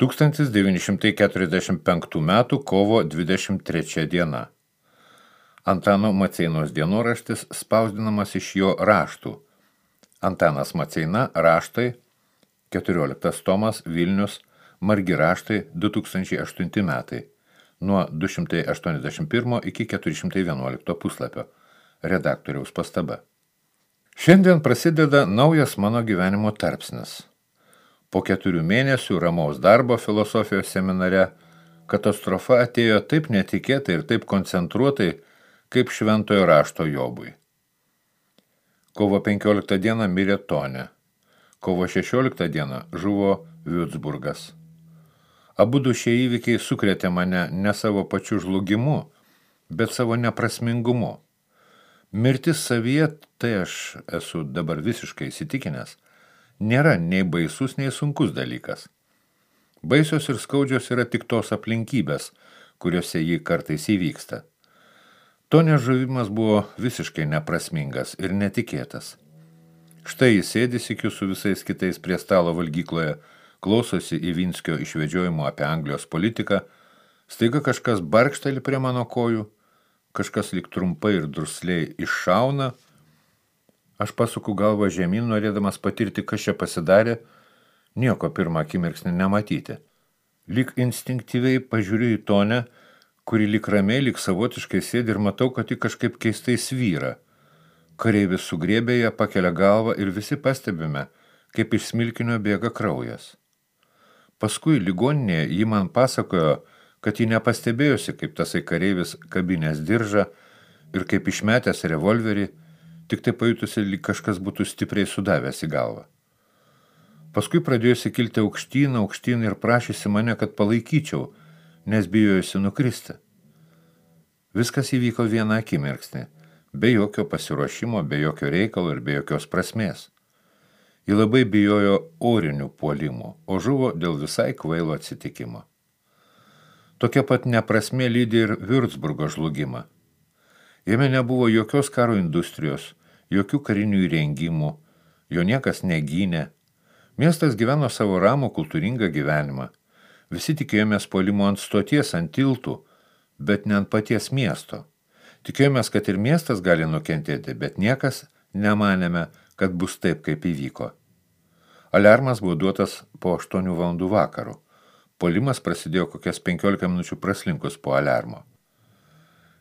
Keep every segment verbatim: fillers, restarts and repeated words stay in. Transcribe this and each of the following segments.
tūkstantis devyni šimtai keturiasdešimt penktų metų kovo dvidešimt trečia diena. Antano Maceinos dienoraštis spausdinamas iš jo raštų. Antanas Maceina, raštai, keturioliktas tomas, Vilnius, margi raštai, du tūkstančiai aštunti metai, nuo du šimtai aštuoniasdešimt pirmo iki keturi šimtai vienuolikto puslapio. Redaktoriaus pastaba. Šiandien prasideda naujas mano gyvenimo tarpsnis. Po keturių mėnesių ramaus darbo filosofijos seminare katastrofa atėjo taip netikėtai ir taip koncentruotai, kaip šventojo rašto Jobui. Kovo penkioliktą dieną mirė Tonė. Kovo šešioliktą dieną žuvo Würzburgas. Abudu šie įvykiai sukrėtė mane ne savo pačiu žlugimu, bet savo neprasmingumu. Mirtis savyje, tai aš esu dabar visiškai įsitikinęs, nėra nei baisus, nei sunkus dalykas. Baisios ir skaudžios yra tik tos aplinkybės, kuriuose jį kartais įvyksta. Tonės žuvimas buvo visiškai neprasmingas ir netikėtas. Štai jis sėdi sykiu su visais kitais prie stalo valgykloje, klausosi Ivinskio išvedžiojimo apie Anglijos politiką, staiga kažkas barkšteli prie mano kojų, kažkas lyg trumpai ir drusliai iššauna. Aš pasuku galvą žemyn, norėdamas patirti, kas čia pasidarė, nieko pirmą akimirksnį nematyti. Lyg instinktyviai pažiūriu į Tonę, kuri lyg ramiai, lyg savotiškai sėdi ir matau, kad ji kažkaip keistai svyra. Kareivis sugriebė ją, pakelia galvą ir visi pastebime, kaip iš smilkinio bėga kraujas. Paskui ligoninėje ji man pasakojo, kad ji nepastebėjosi, kaip tasai kareivis kabinės diržą ir kaip išmetęs revolverį, tik tai pajutusi, lyg kažkas būtų stipriai sudavęs į galvą. Paskui pradėjusi kilti aukštyn, aukštyn ir prašysi mane, kad palaikyčiau, nes bijojusi nukristi. Viskas įvyko vieną akimirksnį, be jokio pasiruošimo, be jokio reikalo ir be jokios prasmės. Ji labai bijojo orinių puolimų, o žuvo dėl visai kvailo atsitikimo. Tokia pat neprasmė lydi ir Würzburgo žlugimą. Jame nebuvo jokios karo industrijos, jokių karinių įrengimų, jo niekas negynė. Miestas gyveno savo ramų kultūringą gyvenimą. Visi tikėjomės puolimo ant stoties, ant tiltų, bet ne ant paties miesto. Tikėjomės, kad ir miestas gali nukentėti, bet niekas nemanėme, kad bus taip, kaip įvyko. Aliarmas buvo duotas po aštuonių valandų vakarų. Puolimas prasidėjo kokias penkiolika minučių praslinkus po aliarmo.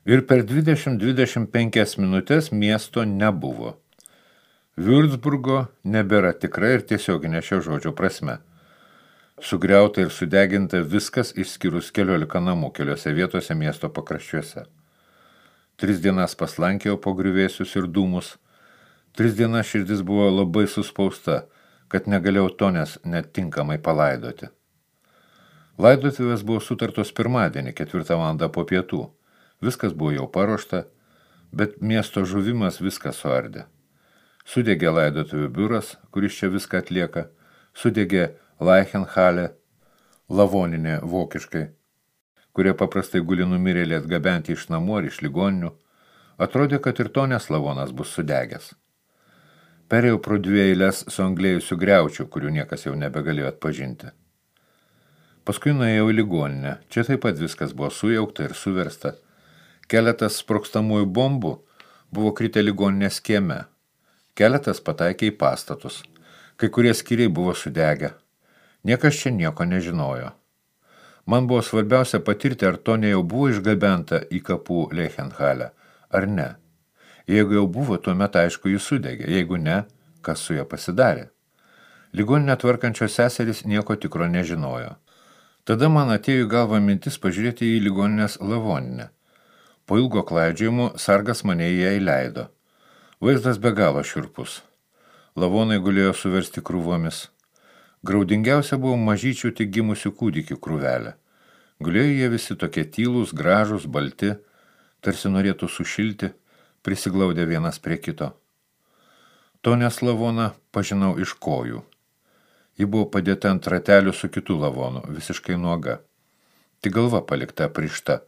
Ir per dvidešimt dvidešimt penkias minutės miesto nebuvo. Würzburgo nebėra tikra ir tiesioginė šio žodžio prasme. Sugriauta ir sudeginta viskas išskyrus keliolika namų keliose vietose miesto pakraščiuose. Tris dienas paslankiau po griuvėsius ir dūmus. Tris dienas širdis buvo labai suspausta, kad negalėjau Tonės netinkamai palaidoti. Laidotuvės buvo sutartos pirmadienį, ketvirtą valandą po pietų. Viskas buvo jau paruošta, bet miesto žuvimas viską suardė. Sudegė laidotuvių biuras, kuris čia viską atlieka, sudegė Leichenhalle, lavoninė vokiškai, kurie paprastai guli numirėlį atgabenti iš namų ar iš ligoninių. Atrodė, kad ir Tonės lavonas bus sudegęs. Perėjau pro dvi eiles su anglėjusiu griaučiu, kurių niekas jau nebegalėjo atpažinti. Paskui nuėjau į ligoninę. Čia taip pat viskas buvo sujaukta ir suversta. Keletas sprogstamųjų bombų buvo kritę ligoninės kieme. Keletas pataikė į pastatus. Kai kurie skyriai buvo sudegę. Niekas čia nieko nežinojo. Man buvo svarbiausia patirti, ar Tonė jau buvo išgabenta į kapų Leichenhalle, ar ne. Jeigu jau buvo, tuomet aišku jis sudegė. Jeigu ne, kas su ja pasidarė. Ligoninę tvarkančios seserys nieko tikro nežinojo. Tada man atėjo į galvą mintis pažiūrėti į ligoninės lavoninę. Po ilgo klaidžiojimo sargas mane į ją įleido. Vaizdas be galo šiurpus. Lavonai gulėjo suversti krūvomis. Graudingiausia buvo mažyčių tik gimusių kūdikių krūvelė. Gulėjo jie visi tokie tylūs, gražūs, balti, tarsi norėtų sušilti, prisiglaudę vienas prie kito. Tonės lavoną pažinau iš kojų. Ji buvo padėta ant ratelių su kitų lavonų, visiškai nuoga. Tik galva palikta aprišta,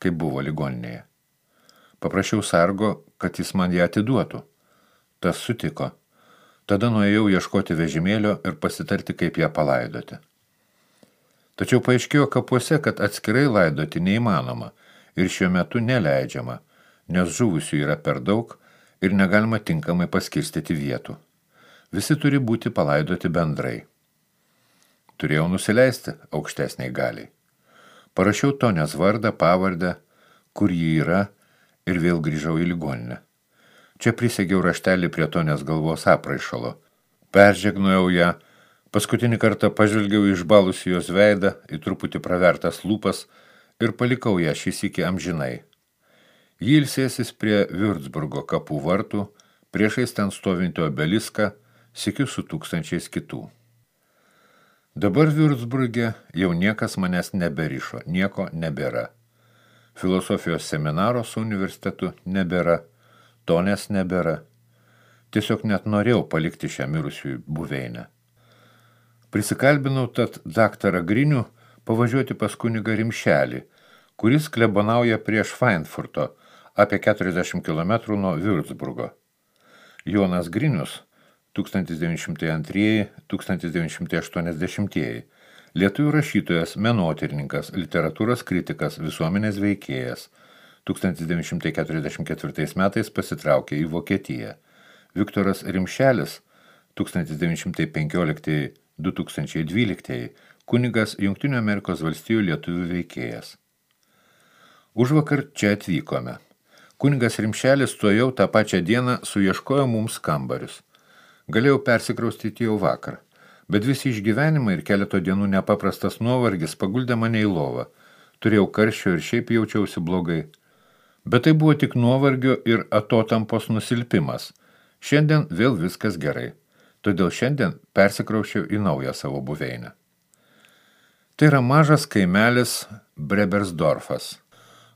kaip buvo ligoninėje. Paprašiau sargo, kad jis man ją atiduotų. Tas sutiko. Tada nuėjau ieškoti vežimėlio ir pasitarti, kaip ją palaidoti. Tačiau paaiškėjo kapuose, kad atskirai laidoti neįmanoma ir šiuo metu neleidžiama, nes žuvusių yra per daug ir negalima tinkamai paskirstyti vietų. Visi turi būti palaidoti bendrai. Turėjau nusileisti aukštesniai galiai. Parašiau Tonės vardą, pavardę, kur ji yra, ir vėl grįžau į ligoninę. Čia prisegiau raštelį prie Tonės galvos apraišalo. Peržegnojau ją, paskutinį kartą pažvelgiau į išbalusį jos veidą, į truputį pravertas lūpas ir palikau ją šis iki amžinai. Ji ilsėsis prie Viurcburgo kapų vartų, priešais ten stovinti obeliską, sykiu su tūkstančiais kitų. Dabar Viurcburge jau niekas manęs neberišo, nieko nebėra. Filosofijos seminaro su universitetu nebėra, Tonės nebėra. Tiesiog net norėjau palikti šią mirusiųjų buveinę. Prisikalbinau tad daktarą Grinių pavažiuoti pas kunigą Rimšelį, kuris klebonauja prie Švainfurto, apie keturiasdešimt kilometrų nuo Viurcburgo. Jonas Grinius, tūkstantis devyni šimtai antrieji - tūkstantis devyni šimtai aštuoniasdešimtieji, lietuvių rašytojas, menotyrininkas, literatūros kritikas, visuomenės veikėjas, tūkstantis devyni šimtai keturiasdešimt ketvirtais metais pasitraukė į Vokietiją. Viktoras Rimšelis, tūkstantis devyni šimtai penkioliktieji - du tūkstančiai dvyliktieji, kunigas Jungtinių Amerikos valstijų lietuvių veikėjas. Užvakar čia atvykome. Kunigas Rimšelis tuojau tą pačią dieną suieškojo mums kambarius. Galėjau persikraustyti jau vakar, bet visi išgyvenimai ir keleto dienų nepaprastas nuovargis paguldė mane į lovą. Turėjau karščio ir šiaip jaučiausi blogai. Bet tai buvo tik nuovargio ir atotampos nusilpimas. Šiandien vėl viskas gerai. Todėl šiandien persikrauščiau į naują savo buveinę. Tai yra mažas kaimelis Brebersdorfas,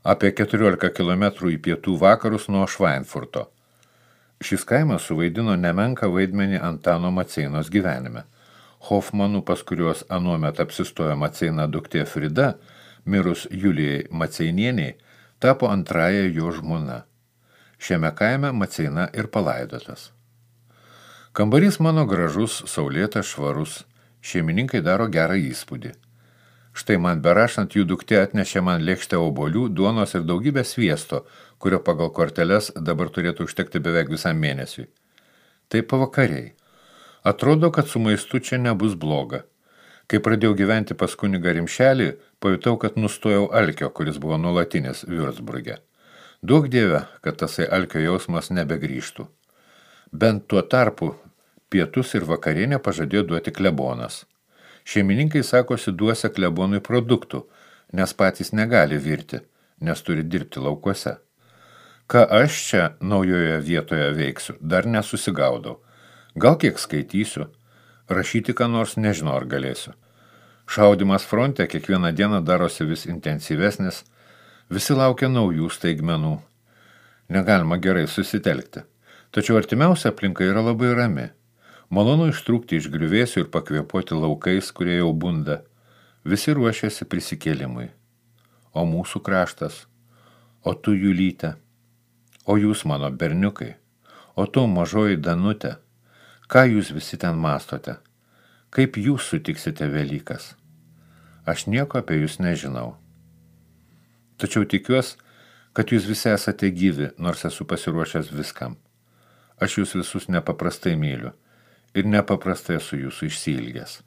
apie keturiolika kilometrų į pietų vakarus nuo Švainfurto. Šis kaimas suvaidino nemenką vaidmenį Antano Maceinos gyvenime. Hofmanų, pas kuriuos anuomet apsistojo Maceina duktė Frida, mirus Julijai Maceinieniai, tapo antrąja jo žmona. Šiame kaime Maceina ir palaidotas. Kambarys mano gražus, saulėtas, švarus. Šeimininkai daro gerą įspūdį. Štai man berašant jų duktė atnešė man lėkštę obuolių, duonos ir daugybę sviesto, kurio pagal korteles dabar turėtų užtekti beveik visam mėnesiui. Tai pavakariai. Atrodo, kad su maistu čia nebus bloga. Kai pradėjau gyventi pas kunigą Rimšelį, pajutau, kad nustojau alkio, kuris buvo nuolatinis Viurcburge. Duok Dieve, kad tasai alkio jausmas nebegrįžtų. Bent tuo tarpu pietus ir vakarienę pažadėjo duoti klebonas. Šeimininkai sakosi duosia klebonui produktų, nes patys negali virti, nes turi dirbti laukuose. Ką aš čia naujoje vietoje veiksiu, dar nesusigaudau. Gal kiek skaitysiu, rašyti ką nors nežinau ar galėsiu. Šaudimas fronte kiekvieną dieną darosi vis intensyvesnis, visi laukia naujų staigmenų. Negalima gerai susitelkti. Tačiau artimiausia aplinka yra labai rami. Malonu ištrūkti iš griuvėsių ir pakvėpuoti laukais, kurie jau bunda. Visi ruošiasi prisikėlimui. O mūsų kraštas, o tu Julyte, o jūs mano berniukai, o tu mažoji Danutė, ką jūs visi ten mastote, kaip jūs sutiksite Velykas. Aš nieko apie jūs nežinau. Tačiau tikiuosi, kad jūs visi esate gyvi, nors esu pasiruošęs viskam. Aš jūs visus nepaprastai myliu ir nepaprastai esu jūsų išsiilgęs.